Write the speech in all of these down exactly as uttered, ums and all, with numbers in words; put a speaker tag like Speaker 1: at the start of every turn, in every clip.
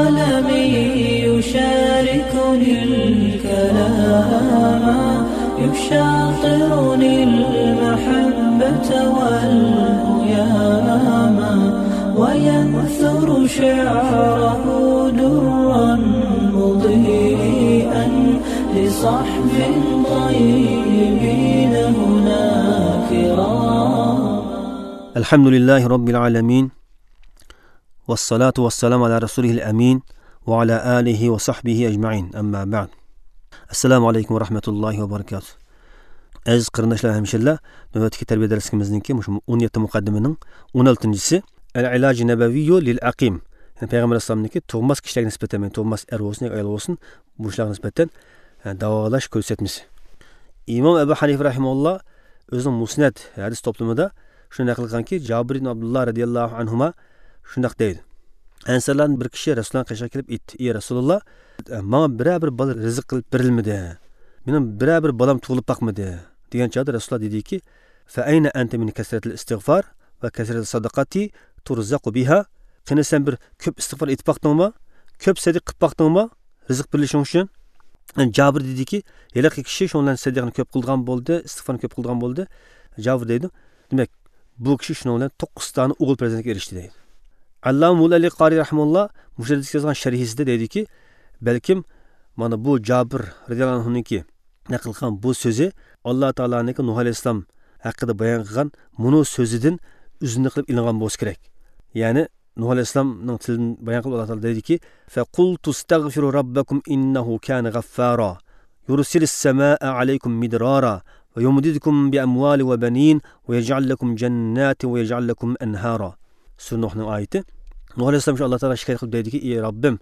Speaker 1: قلمي يشاركني الكلام يشاطرني المحبة والهيام وينثر شعره درا مضيئا لصحب طيبين هنا كرام.
Speaker 2: الحمد لله رب العالمين والصلاة والسلام على رسوله الأمين وعلى آله وصحبه أجمعين أما بعد. Assalomu alaykum va rahmatullohi va barakatuh. Aziz qarindoshlar, hamshirlar, navbatdagi tarbiya darsimizningki shu o'n yetti muqaddimining o'n oltinchisi Al-ilaj nabaviyyu lil aqim. Ya'ni payg'ambar alayhissalomniki tug'mas kishilarga nisbatan, ya'ni tug'mas er bo'lsin yoki ayol bo'lsin, bu kishilarga nisbatan davolash ko'rsatmasi. Imom Abu Hanifa rahimahulloh o'zining Musnad hadis to'plamida shuni naql qilganki, Jabir ibn Abdulloh radhiyallohu anhuma shundoq deydi. Ansarlardan bir kishi Rasulullohning qashiga kelib aytdi: "Ey Rasululloh, menga biror bir bola rizq qilib berilmidi? Mening biror bir bolam tug'ilib boqmidi?" degan chog'da Rasululloh dediki: "Fa ayna anta min kasratil istig'far va kasratil sadaqati turzaqu biha." Qani sen bir ko'p istig'for etib boqdingmi? Ko'p sadaqa qilib boqdingmi? Rizq berilishing uchun. Jabir dediki, haliqi kishi shu bilan sadaqani ko'p qilgan bo'ldi, istig'forni ko'p qilgan bo'ldi. Jabir deydi: "Demak, bu kishi shuning bilan to'qqiz ta o'g'il farzandga erishdi" deydi. Allam Mulali Qori rahimulloh mushaddidga yozgan sharhisida deydiki, balkim mana bu Jabir radhiyallohu anhuniki naql qilgan bu so'zi Alloh taoloniki Nuh alayhissalom haqida bayon qilgan munu so'zidan uzunni qilib ilingan bo'lsa kerak. Ya'ni Nuh alayhissalomning tilidan bayon qilib Alloh taolo deydiki: "Fa qultu astaghfiru robbakum innahu kana ghaffara yursilis samaa alaykum midrara va yumdidukum bi amwali va banin va yaj'al lakum jannatin va yaj'al lakum anhara." Sura Nuhning oyati. Nuh alayhissalom shu Alloh taolo shikoyat qilib deydiki: "Ey Robbim,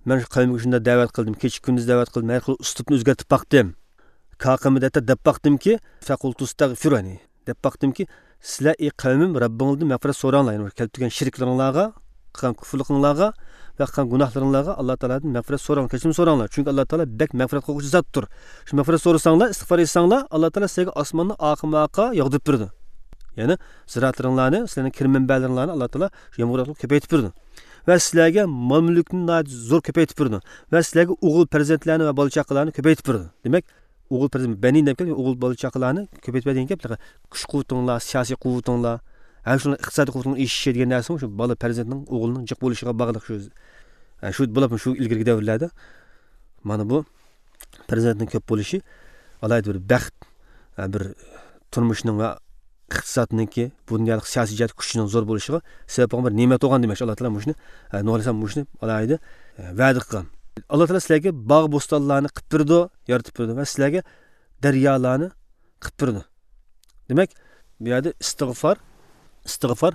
Speaker 2: men shu qavmga shunda da'vat qildim, kecha kunduz da'vat qildim, har xil uslubni o'zgartib boqdim. Kaqimida deb boqdimki, faqultu astaghfiruni deb boqdimki, sizlar ey qavmim Robbingizdan mag'firat so'ranglar, ya'ni kelib turgan shirklaringlarga, qilgan kufrliklaringlarga va qilgan gunohlaringlarga Alloh taolodan mag'firat so'ranglar, kechirim so'ranglar. Chunki Alloh taolo bak mag'firat qilguvchi zotdir. Shu mag'firat so'rasanglar, istig'for etsanglar, Alloh taolo sizlarga osmonni oqima-oqa yog'dirib berdi. Ya'ni ziroatlaringlarni, sizlarning kir manbalaringlarni Alloh taolo shu yomg'ir orqali ko'paytirib berdi. Va sizlarga mol mulkni zo'r ko'paytirib berdi. Va sizlarga o'g'il farzandlarni va bola chaqalarni ko'paytirib berdi. Demak, o'g'il farzand banin deb kelgan, o'g'il bola chaqalarni ko'paytirib degan gap, kuch quvvatinglar, siyosiy quvvatinglar, ham shuni iqtisodiy quvvatning eshishi degan narsa shu bola farzandning o'g'lining jiq bo'lishiga bog'liq shu. Shu bo'lib shu ilgirgi davrlarda mana bu farzandning ko'p bo'lishi alohida bir baxt, bir turmushning va iqtisodniki bu dunyolik siyosiy jihat kuchining zo'r bo'lishiga sabab bo'lgan bir ne'mat bo'lgan demak. Alloh taolo mushuni Nuh alayhissalom mushuni alohida va'da qilgan. Alloh taolo sizlarga bog' bo'stonlarni qilib berdi, yaratib berdi va sizlarga daryolarni qilib berdi. Demak, bu yerda istig'for, istig'for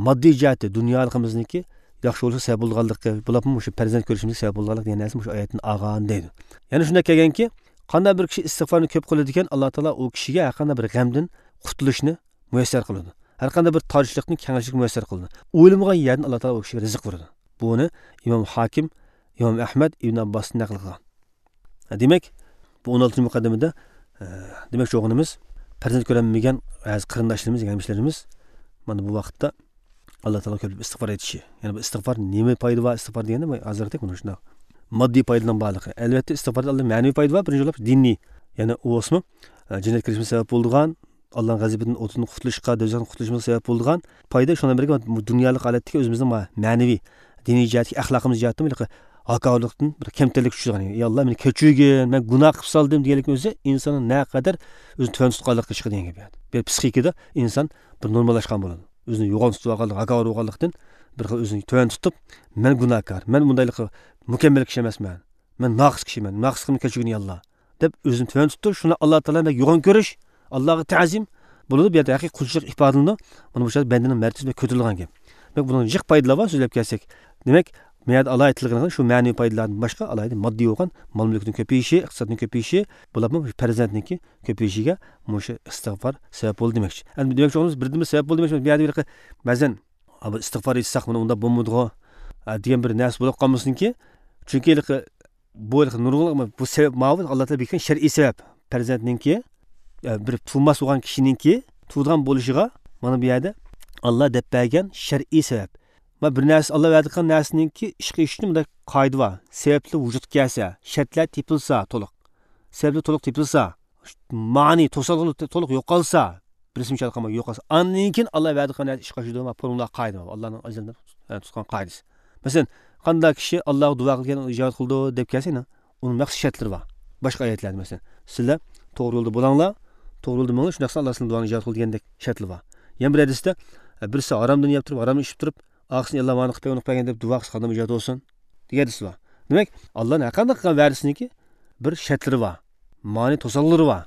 Speaker 2: moddiy jihati dunyoligimizniki yaxshi bo'lsa sabab bo'lganligi, bularmi shu farzand ko'rishimizga sabab bo'lganligi degan narsa shu oyatni olgan deydi. Ya'ni shunday kelganki, qanday bir kishi istig'forni ko'p qiladi ekan, Alloh taolo u kishiga har qanday bir g'amdan qutulishni muyassar qiladi. Har qanday bir torishlikni kengashlikni muyassar qiladi. O'ylamagan yerdan Alloh taolo u kishiga rizq beradi. Buni Imom Hokim, Imom Ahmad, Ibn Abbos naql qilgan. Demak, bu o'n oltinchi muqaddimada demak shu o'g'limiz farzand ko'rolmagan aziz qarindoshlarimiz, hamshirlarimiz mana bu vaqtda Alloh taolo ko'p istig'for etishi. Ya'ni bu istig'for nima foyda va istig'for deganda hozirgi buni shundoq moddiy foydadan bog'liq. Albatta istig'forda Alloh ma'naviy foyda bor, birinchi bo'lib diniy, ya'ni u osmi jannatga kirishimiz sabab bo'lgan, Allohning g'azabidan o'tini qutulishga, do'zaxdan qutulishimizga sabab bo'lgan foyda. Shundan birga dunyolik holatdagi o'zimizning ma'naviy, diniy jihatdagi axloqimiz jihatdan hakorlikdan bir kamtarlik tushgan. Ey Alloh, meni kechirgin, men gunoh qilib soldim deganlikning o'zi insonning naqadar o'zini tuvan tutqanlikqa chiqadi degan gap. Bir psixikada inson bir normallashgan bo'ladi. O'zini yo'g'on tutib olganlik, hakor bo'lganlikdan bir xil o'zini tuvan tutib, men gunohkor, men bundaylik mukammal kishi emasman, men noqis kishiman, noqis qilib kechirgin ey Alloh deb o'zini tuvan tutdi. Shuni Alloh taolo yo'g'on ko'rish, Allohga ta'zim bo'ladi. Bu yerda haqiqiy qulchilik ifodalanadi. Mana bu yerda bandaning martabasi ko'tarilgan gap. Demak, buning jiq foydalari bor so'zlab kelsak. Demak, bu yerda alohida tilgan shu ma'naviy foydalardan boshqa alohida moddiy bo'lgan mol mulkning ko'payishi, iqtisodning ko'payishi, bularmi farzandniki ko'payishiga mushu istig'for sabab bo'ldi demakchi. Endi demakchi bo'lamiz, birdimi sabab bo'ldi demakchi. Bu yerda bir ba'zan istig'for etsak, buni unda bo'lmaydi degan bir narsa bo'lib qolmasinki, chunki bu nurg'un bu sabab mavzu Alloh taolo bergan shar'iy sabab. Farzandninki bir tug'mas bo'lgan kishininki tug'ilgan bo'lishiga mana bu yerda Alloh deb bergan shar'iy sabab. Bir narsa Alloh va'da qilgan narsaningki ishga ishni bunday qoida bor. Sababli vujudga kelsa, shartlar tepilsa to'liq. Sababli to'liq tepilsa, ma'ni to'salg'i to'liq yo'qolsa, birisi misol qilma yo'qolsa, andan keyin Alloh va'da qilgan narsa ishga oshadi. Formula qoida bor. Allohning azaldan tutgan qoidasi. Masalan, qanday kishi Allohga duo qilgan, ijobat qildi deb kelsa, uning maxsus shartlari bor. Boshqa oyatlarda masalan, sizlar to'g'ri yo'lda bo'linglar, to'g'ri yo'lda bo'linglar, shunda Alloh sizning duoni ijobat qildi degandek shartlar bor. Yana bir hadisda birisi haromdan yeb turib, haromni ichib turib, oqsini Alloh mani qilib bergan, qilib bergan deb duo qilsa qanday ijobat bo'lsin degan hadis bor. Demak, Allohning har qanday qilgan va'dasiniki bir shartlari bor, ma'ni to'sallari bor.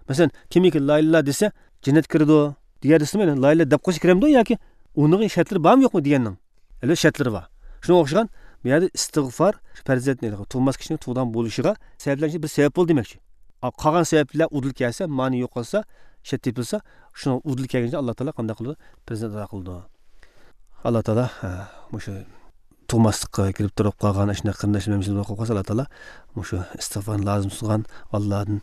Speaker 2: Masalan, kimiki la ilaha desa jannatga kiradi degan hadismi, la ilaha deb qo'ysa kiramdi yoki uning shartlari bormi yo'qmi deganning albatta shartlari bor. Shunga o'xshagan bu yerda istig'for farzandni tug'mas kishining tug'dan bo'lishiga sabablar bir sabab bo'ldi demakchi. Qolgan sabablar udil kelsa, ma'ni yo'qolsa, shart tepilsa, shuni udil kelguncha Alloh taolo qanday qildi? Farzand ato qildi. Alloh taolo shu tug'maslikqa kirib turib qolgan shunday qarindoshlarimiz bo'lib qolsa, Alloh taolo shu istig'forni lozim tutgan, Allohdan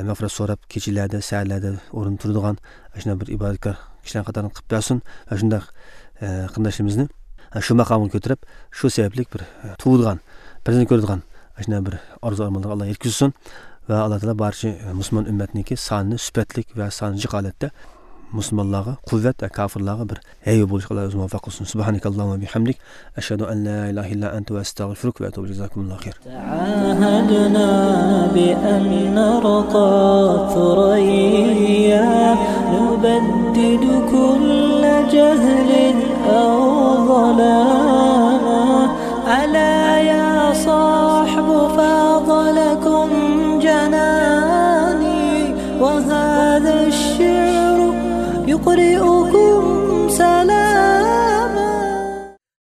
Speaker 2: mag'firat so'rab kechalarda, saharlarda o'rin turadigan shunday bir ibodatkor kishilar qatorini qilib bersin va shunday qarindoshlarimizni shu maqomga ko'tarib, shu sababli bir tug'ilgan, farzand ko'radigan shunday bir orzu armonlarga Alloh yetkazsin va Alloh taolo barcha musulmon ummatniki sonini sifatlik va soni jiq holatda musulmonlarga quvvat va kofirlarga bir hayyo bo'lishga Alloh o'zi muvaffaq qilsin. Subhanakallohumma bihamdik, ashhadu an la ilaha illa anta va astag'firuka va atubu ilayk. Jazakumullohu khayr.
Speaker 1: تعاهدنا بأن نرقى ثريا نبدد كل جهل أو ضلال.